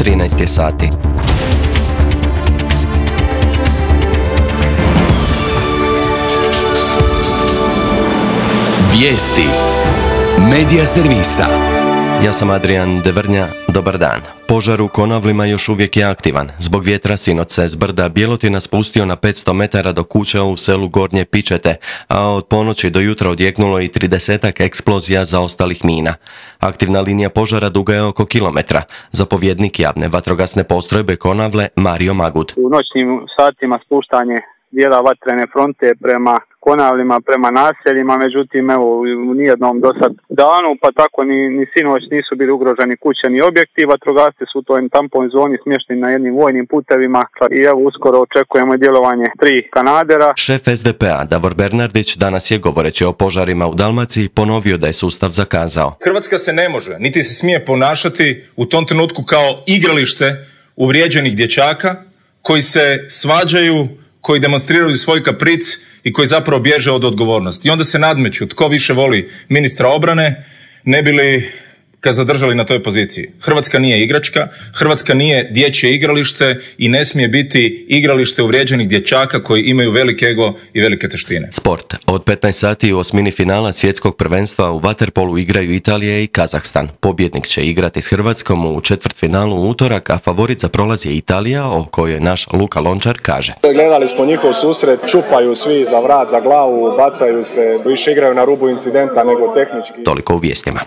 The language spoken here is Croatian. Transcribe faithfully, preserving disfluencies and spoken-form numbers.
trinaest je sati. Vijesti Medija servisa. Ja sam Adrian Devrnja, dobar dan. Požar u Konavlima još uvijek je aktivan. Zbog vjetra sinoć se s brda Bjelotina spustio na petsto metara do kuća u selu Gornje Pičete, a od ponoći do jutra odjeknulo i tridesetak eksplozija zaostalih mina. Aktivna linija požara duga je oko kilometra. Zapovjednik javne vatrogasne postrojbe Konavle Mario Magud. U noćnim satima spuštanje dijela vatrene fronte prema Konavlima, prema naseljima, međutim evo u nijednom do sad danu, pa tako ni, ni sinoć nisu bili ugroženi kuće ni objekti. Vatrogasci su u toj tampon zoni smješteni na jednim vojnim putevima i evo uskoro očekujemo djelovanje tri kanadera. Šef es de pe a Davor Bernardić danas je, govoreći o požarima u Dalmaciji, ponovio da je sustav zakazao. Hrvatska se ne može, niti se smije ponašati u tom trenutku kao igralište uvrijeđenih dječaka koji se svađaju, koji demonstriraju svoj kapric i koji zapravo bježe od odgovornosti. I onda se nadmeću tko više voli ministra obrane, ne bi li ga zadržali na toj poziciji. Hrvatska nije igračka, Hrvatska nije dječje igralište i ne smije biti igralište uvrijeđenih dječaka koji imaju velik ego i velike teštine. Sport. Od petnaest sati u osmini finala svjetskog prvenstva u vaterpolu igraju Italija i Kazahstan. Pobjednik će igrati s Hrvatskom u četvrtfinalu u utorak, a favorit za prolaz je Italija, o kojoj naš Luka Lončar kaže. Gledali smo njihov susret, čupaju svi za vrat, za glavu, bacaju se, više igraju na rubu incidenta nego tehnički. Toliko u vijestima.